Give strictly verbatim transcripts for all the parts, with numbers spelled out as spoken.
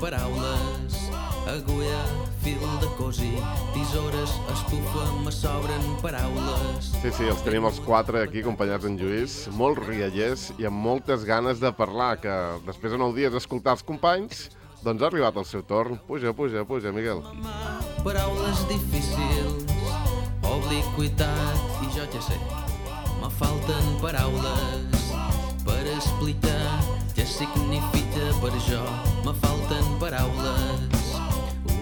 paraules, agulla, fil de cosir, tisores, estufa, me sobren paraules. Sí, sí, els tenim els quatre aquí, acompanyats en Lluís, molt riallers i amb moltes ganes de parlar, que després de nou dies d'escoltar els companys, doncs ha arribat el seu torn. Puja, puja, puja, Miguel. Paraules difícils, obliquitat, i jo ja sé, me falten paraules per explicar què significa per jo, me falten paraules.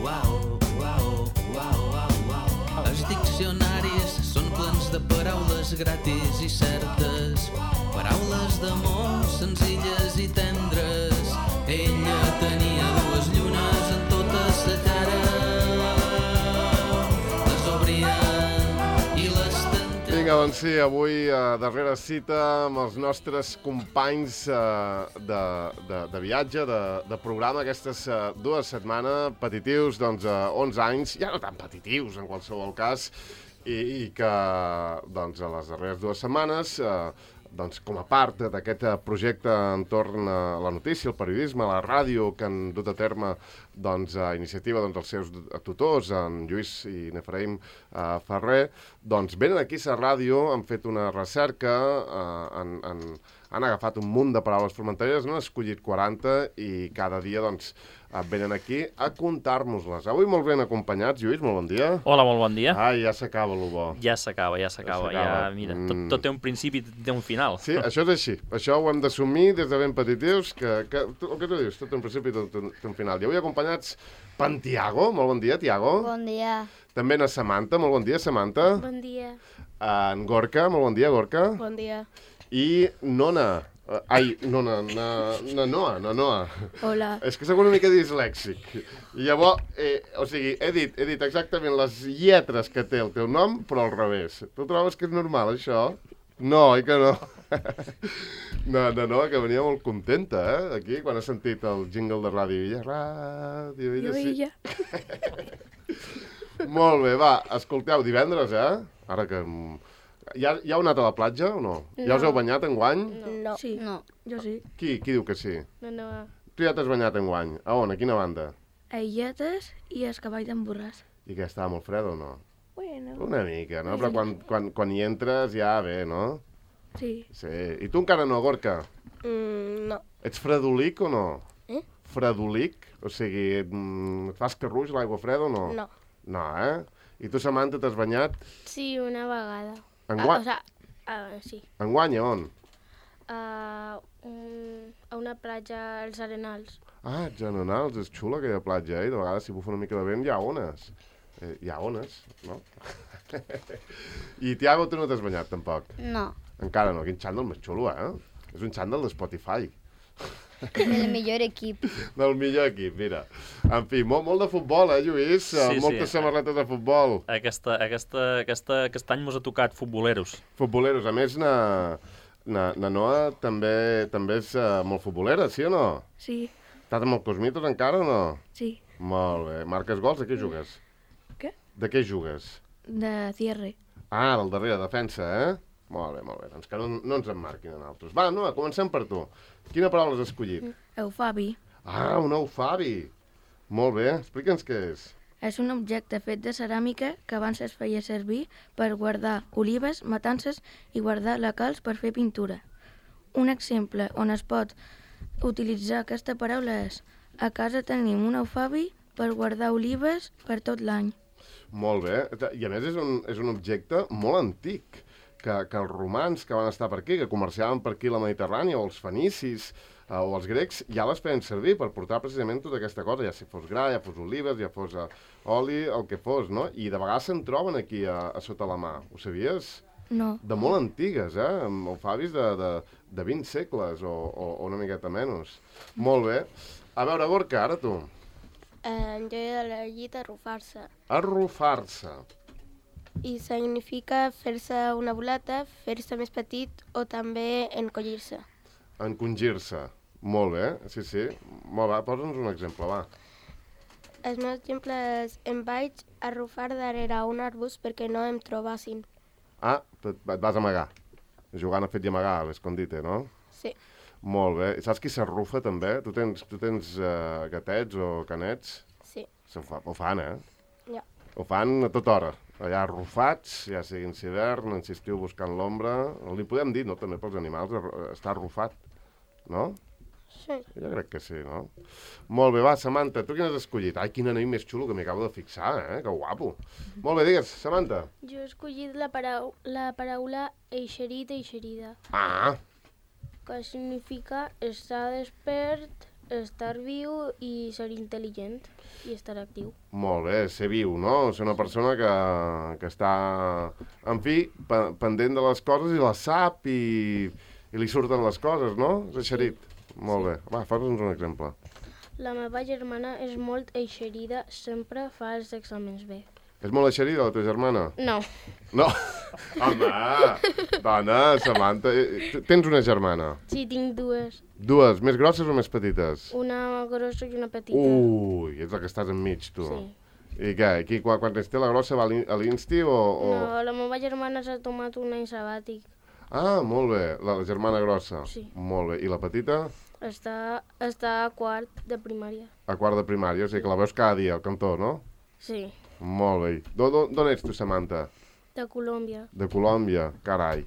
Uau, uau, uau, uau, uau. Els diccionaris són plens de paraules gratis i certes, paraules d'amor senzilles i tendres. Ella tenia dues llunes en tota sa cara, les obria i les tentava. Vinga, doncs sí, avui a darrera cita amb els nostres companys eh, de, de, de viatge, de, de programa, aquestes eh, dues setmanes, petitius, doncs, eh, onze anys, ja no tan petitius en qualsevol cas, i, i que, doncs, a les darreres dues setmanes, eh, doncs, com a part d'aquest projecte entorn a la notícia, el periodisme, la ràdio, que han dut a terme doncs, a iniciativa doncs, els seus tutors, en Lluís i Nefraïm eh, Ferrer, doncs venen aquí a la ràdio, han fet una recerca, eh, han, han, han agafat un munt de paraules formenteres, n'han escollit quaranta i cada dia doncs, venen aquí a contar-nos-les. Avui molt ben acompanyats. Lluís, molt bon dia. Hola, molt bon dia. Ai, ja s'acaba lo bo. Ja s'acaba, ja s'acaba. Ja, ja, mira, tot, tot té un principi i té un final. Sí, això és així. Això ho hem d'assumir des de ben petitius, que, que el que tu dius, tot té un principi i tot té un final. I avui acompanyats per en Tiago. Molt bon dia, Tiago. Bon dia. També na Samantha. Molt bon dia, Samantha. Bon dia. En Gorka. Molt bon dia, Gorka. Bon dia. I Nona. Uh, ai, no, na, na, na Noa, na Noa. Hola. És que soc una mica dislèxic. I llavors, eh, o sigui, he dit, he dit exactament les lletres que té el teu nom, però al revés. Tu trobes que és normal, això? No, oi que no? No, no, no, que venia molt contenta, eh, aquí, quan ha sentit el jingle de ràdio. Illa, ràdio, illa, sí. Illa. Molt bé, va, escolteu, divendres, eh? Ara que... Ja, ja heu anat a la platja o no? no? Ja us heu banyat enguany? No. Sí. No. Jo sí. Qui? Qui diu que sí? No, no. Tu ja t'has banyat enguany. A on? A quina banda? A Illetes i a Escavall d'en Borràs. I que estava molt fred o no? Bueno. Una mica, no? Però quan, quan, quan hi entres ja bé, no? Sí. Sí. I tu encara no, Gorka? Mm, no. Ets fredolic o no? Eh? Fredolic? O sigui, mm, et fas carruix l'aigua freda o no? No. No, eh? I tu, Samantha, t'has banyat? Sí, una vegada. Enguany? Ah, o sea, uh, sí. Enguany, a on? Uh, un, a una platja als Arenals. Ah, Generals, és xula aquella platja, eh? De vegades, si bufa una mica de vent, hi ha ones. Eh, hi ha ones, no? I, Tiago, tu no t'has banyat, tampoc? No. Encara no, quin xandall més xulo, eh? És un xandall de Spotify. Del millor equip. Del millor equip, mira. En fi, molt, molt de futbol, eh, Lluís? Sí, Moltes sí. samarretes de futbol. Aquesta, aquesta, aquesta, aquest any mos ha tocat futboleros. Futboleros. A més, na, na, na Noa també, també és uh, molt futbolera, sí o no? Sí. Estàs amb el Cosmitos encara o no? Sí. Molt bé. Marques gols? De què jugues? Què? De què jugues? De cierre. Ah, del darrere, defensa, eh? Molt bé, molt bé. Doncs que no, no ens en marquin en altres. Va, Noa, comencem per tu. Quina paraula has escollit? Eufabi. Ah, un eufabi. Molt bé. Explica'ns què és. És un objecte fet de ceràmica que abans es feia servir per guardar olives, matances i guardar la calç per fer pintura. Un exemple on es pot utilitzar aquesta paraula és: a casa tenim un eufabi per guardar olives per tot l'any. Molt bé. I a més és un, és un objecte molt antic, que, que els romans que van estar per aquí, que comerciaven per aquí la Mediterrània, o els fenicis, eh, o els grecs, ja les feien servir per portar precisament tota aquesta cosa, ja si fos gra, ja fos olives, ja fos uh, oli, el que fos, no? I de vegades se'n troben aquí a, a sota la mà. Ho sabies? No. De molt antigues, eh? Amb eufabis de, de, de vint segles o, o, o una miqueta menys. Molt bé. A veure, Gorka, ara tu. Eh, jo he elegit arrufar-se. Arrufar-se. I significa fer-se una boleta, fer-se més petit o també encollir-se. Encongir-se. Molt bé, sí, sí. Molt bé, posa'ns un exemple, va. El meu exemple és: em vaig arrufar darrere un arbust perquè no em trobassin. Ah, et vas amagar. Jugant a fet i amagar, a l'escondite, no? Sí. Molt bé. I saps qui s'arrufa, també? Tu tens, tu tens uh, gatets o canets? Sí. Ho, fa, ho fan, eh? Ja. Ho fan a tota hora. Allà arrufats, ja siguin hivern, en si estiu buscant l'ombra. Li podem dir, no?, també pels animals, està arrufat, no? Sí. Jo crec que sí, no? Molt bé, va, Samantha, tu quin has escollit? Ai, quin anell més xulo que m'hi acabo de fixar, eh? Que guapo. Molt bé, digues, Samantha. Jo he escollit la, parau la paraula eixerit, eixerida, Ah, que significa estar despert, estar viu i ser intel·ligent i estar actiu. molt bé, ser viu, no? Ser una persona que, que està, en fi, pe pendent de les coses i les sap i, i li surten les coses, no? És eixerit. Molt bé. Va, fes-nos un exemple. La meva germana és molt eixerida, sempre fa els exàmens bé. És molt eixerida, la teva germana? No, No. Home, dona, Samantha, eh, tens una germana? sí, tinc dues, Dues, més grosses o més petites? una grossa i una petita. Ui, ets la que estàs enmig, tu. Sí. I què, aquí, quan, quan té la grossa va a l'in- a l'Insti o, o...? No, la meva germana s'ha tomat un any sabàtic. Ah, molt bé, la, la germana grossa. Sí. Molt bé, i la petita? Està, està a quart de primària. A quart de primària, o sigui que la veus cada dia al cantó, no? Sí, Molt bé. D'on ets tu, Samantha? de Colòmbia. De Colòmbia, carai.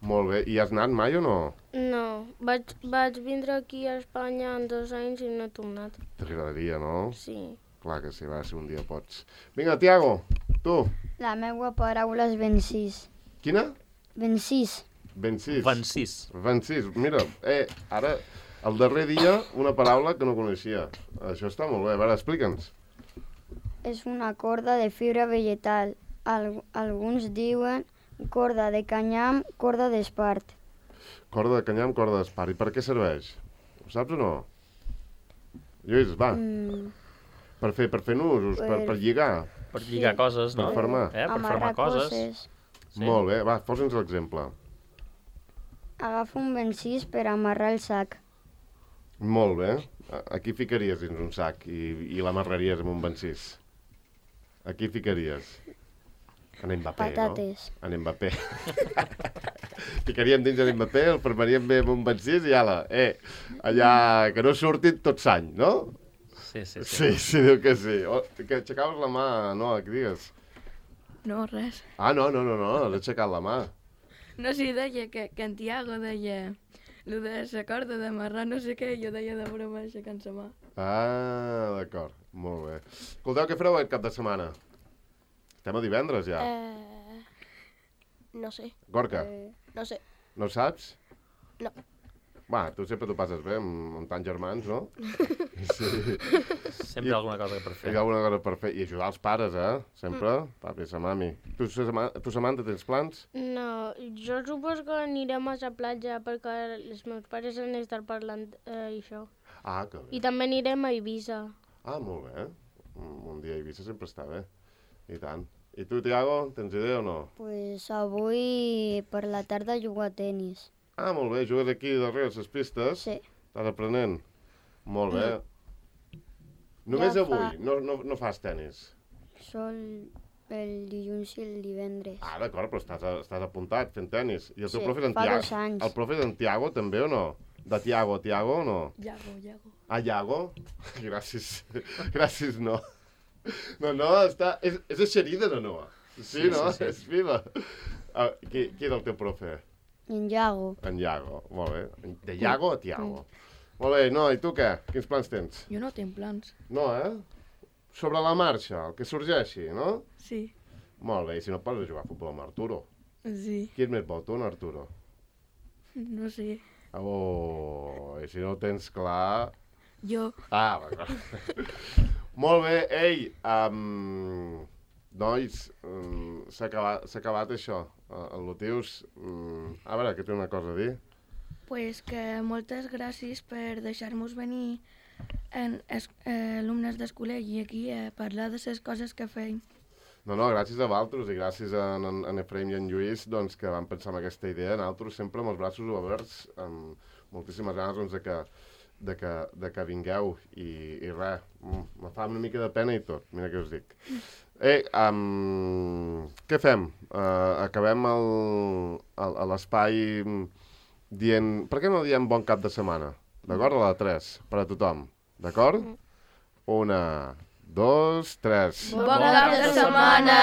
Molt bé. I has anat mai o no? No, vaig, vaig vindre aquí a Espanya en dos anys i no he tornat. T'agradaria, no? Sí. Clar que sí, va, si un dia pots. Vinga, Tiago, tu. La meva paraula és vencís. Quina? Vencís. Vencís. Vencís. Vencís. Mira, eh, ara, el darrer dia, una paraula que no coneixia. Això està molt bé. A veure, explica'ns. És una corda de fibra vegetal. Al alguns diuen corda de canyam, corda d'espart. Corda de canyam, corda d'espart. I per què serveix? Ho saps o no? Lluís, va. Mm, Per fer, per fer nusos, per, per lligar. Per lligar coses, no? Per fermar. Eh? Per amarrar fermar coses. coses. Sí. Molt bé, va, posa'ns l'exemple. Agafa un vencís per amarrar el sac. Molt bé. A- Aquí ficaries dins un sac i, i l'amarraries amb un vencís. Aquí ficaries. En Mbappé, Patates. no? En Mbappé. Ficaríem dins en Mbappé, el fermaríem bé amb un vencís i ala, eh, allà que no surtin tot s'any, no? Sí, sí, sí. Sí, sí, diu que sí. Oh, que aixecaves la mà, no, què digues? No, res. Ah, no, no, no, no, has aixecat la mà. No, sí, deia que, que en Tiago deia el de la corda d'amarrar no sé què, jo deia de broma aixecant la mà. Ah, d'acord, molt bé. Escolteu, què fareu aquest cap de setmana? Estem a divendres ja. Eh, no sé, Gorka, no sé. no saps? No. Va, tu sempre t'ho passes bé amb, amb tants germans, no? Sí. Sempre hi ha alguna cosa per Hi fer. ha alguna cosa per fer. I ajudar els pares, eh? Sempre. Mm. Papi, sa mami. Tu, Sama- tu, Samantha, tens plans? No, jo suposo que anirem a la platja perquè els meus pares han estat parlant eh, això. Ah, que bé. I també anirem a Eivissa. Ah, molt bé. Un, un dia a Eivissa sempre està bé. I tant. I tu, Tiago, tens idea o no? Pues avui per la tarda jugo a tenis. Ah, molt bé. Jugues aquí darrere les pistes? Sí. Estàs aprenent? Molt bé. Només Ja avui? fa- No, no, no fas tenis? Sol el dilluns i el divendres. Ah, d'acord, però estàs, estàs apuntat fent tenis. I el teu Sí, profe és en fa Tiago? dos anys. El profe és en Tiago també o no? De Tiago a Tiago o no? Iago, Iago. Ah, Iago? Gràcies. Gràcies, no. No, no, està... És, és eixerida, no, no? Sí, Sí, no? sí, sí. És viva. Ah, qui, qui era el teu profe? En Iago. En Iago, molt bé. De Iago a Tiago. Molt bé, no, i tu què? Quins plans tens? Jo no tinc plans. No, eh? Sobre la marxa, el que sorgeixi, no? Sí. Molt bé, i si no pots jugar a futbol amb Arturo. Sí. Qui és més bo, tu o en Arturo? No sé. Oh, i si no ho tens clar... Jo. Ah, d'acord. Molt bé, ei, um, nois, um, s'ha acabat, s'ha acabat això. Uh, el Lotius, um, a veure, que té una cosa a dir. Pues que moltes gràcies per deixar-nos venir en, es, eh, alumnes d'escolegi aquí a parlar de les coses que feim. No, no, gràcies a vosaltres i gràcies a en, en Efraim i en Lluís doncs, que van pensar en aquesta idea. Nosaltres sempre amb els braços oberts, amb moltíssimes ganes doncs, de, que, de, que, de que vingueu i, i res, mm, me fa una mica de pena i tot, mira què us dic. Eh, um, què fem? Uh, acabem el, el, l'espai dient... Per què no diem bon cap de setmana? D'acord? A la tres, per a tothom. D'acord? Una, dos, tres. Bon cap de setmana!